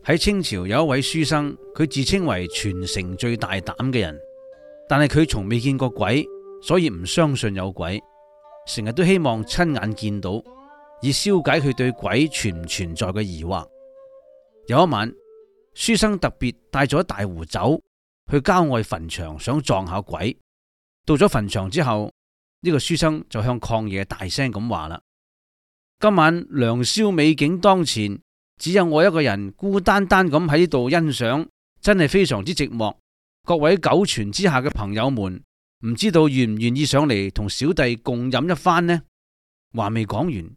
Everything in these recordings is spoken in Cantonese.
喺清朝有一位書生，佢自稱為全城最大膽嘅人，但係佢從未見過鬼，所以唔相信有鬼，成日都希望親眼見到，以消解佢對鬼存唔存在嘅疑惑。有一晚，書生特別帶咗一大壺酒去郊外墳場，想撞下鬼。到咗墳場之後，呢個書生就向曠野大聲咁話啦：今晚良宵美景當前，只有我一個人孤單單咁喺呢度欣賞，真係非常之寂寞。各位九泉之下嘅朋友們，唔知道願唔願意上嚟同小弟共飲一番呢？話未講完，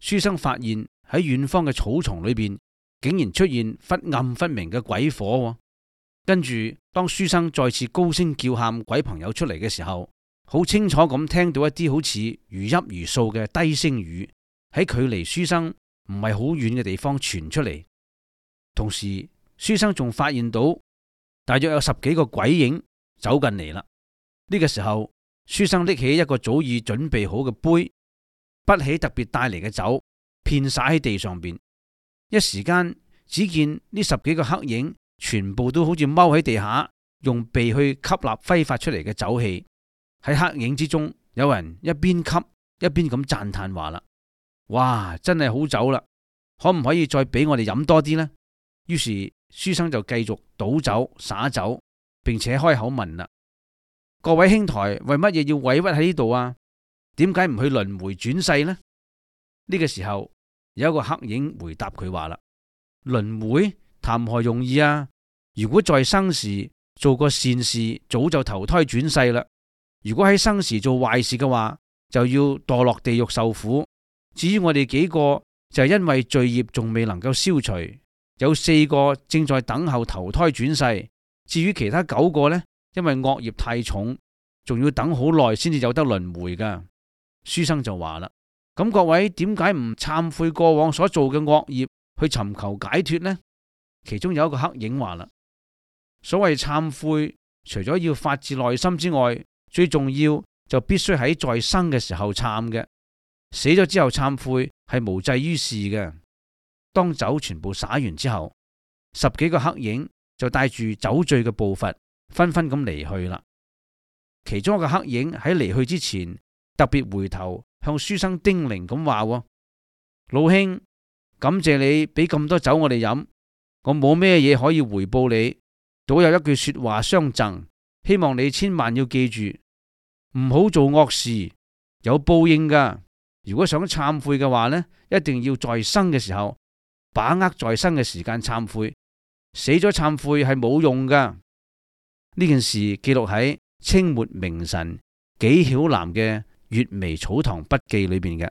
書生發現喺遠方嘅草叢裏邊，竟然出現忽暗忽明嘅鬼火。跟住，當書生再次高聲叫喊鬼朋友出嚟嘅時候，好清楚咁聽到一啲好似如泣如訴嘅低聲語喺距離書生唔係好遠嘅地方傳出嚟。同時，書生仲發現到大約有10幾個鬼影走近嚟啦。呢個時候，書生拎起一個早已準備好嘅杯，潷起特別帶嚟嘅酒，遍灑喺地上邊。一時間，只見呢10幾個黑影全部都好似踎喺地下，用鼻去吸納揮發出嚟嘅酒氣。喺黑影之中，有人一邊吸一邊咁讚嘆話啦：哇，真係好酒啦！可唔可以再俾我哋飲多啲呢？於是書生就繼續倒酒灑酒，並且開口問啦：各位兄台，為乜嘢要委屈喺呢度啊？點解唔去輪迴轉世呢？呢個時候，有一個黑影回答佢話啦：輪迴談何容易啊！如果在生時做過善事，早就投胎轉世啦；如果喺生時做壞事嘅話，就要墮落地獄受苦。至於我哋幾個，就係因為罪業仲未能夠消除，有4個正在等候投胎轉世。至於其他9個呢，因為惡業太重，仲要等好耐先至有得輪迴噶。書生就話啦：咁各位點解唔懺悔過往所做嘅惡業，去尋求解脫呢？其中有一個黑影話啦：所謂懺悔，除咗要發自內心之外，最重要就必須喺在生嘅時候懺嘅。死咗之後懺悔係無濟於事嘅。當酒全部灑完之後，10幾個黑影就帶住酒醉嘅步伐，紛紛咁離去啦。其中一個黑影喺離去之前，特別回頭向書生叮嚀咁話：老兄，感謝你俾咁多酒我哋飲，我冇咩嘢可以回報你，倒有一句說話相贈，希望你千萬要記住，唔好做惡事，有報應噶。如果想懺悔嘅話呢，一定要在生嘅時候把握在生嘅時間懺悔，死咗懺悔係冇用噶。呢件事記錄喺清末名臣紀曉嵐嘅《閱微草堂筆記》裏邊嘅。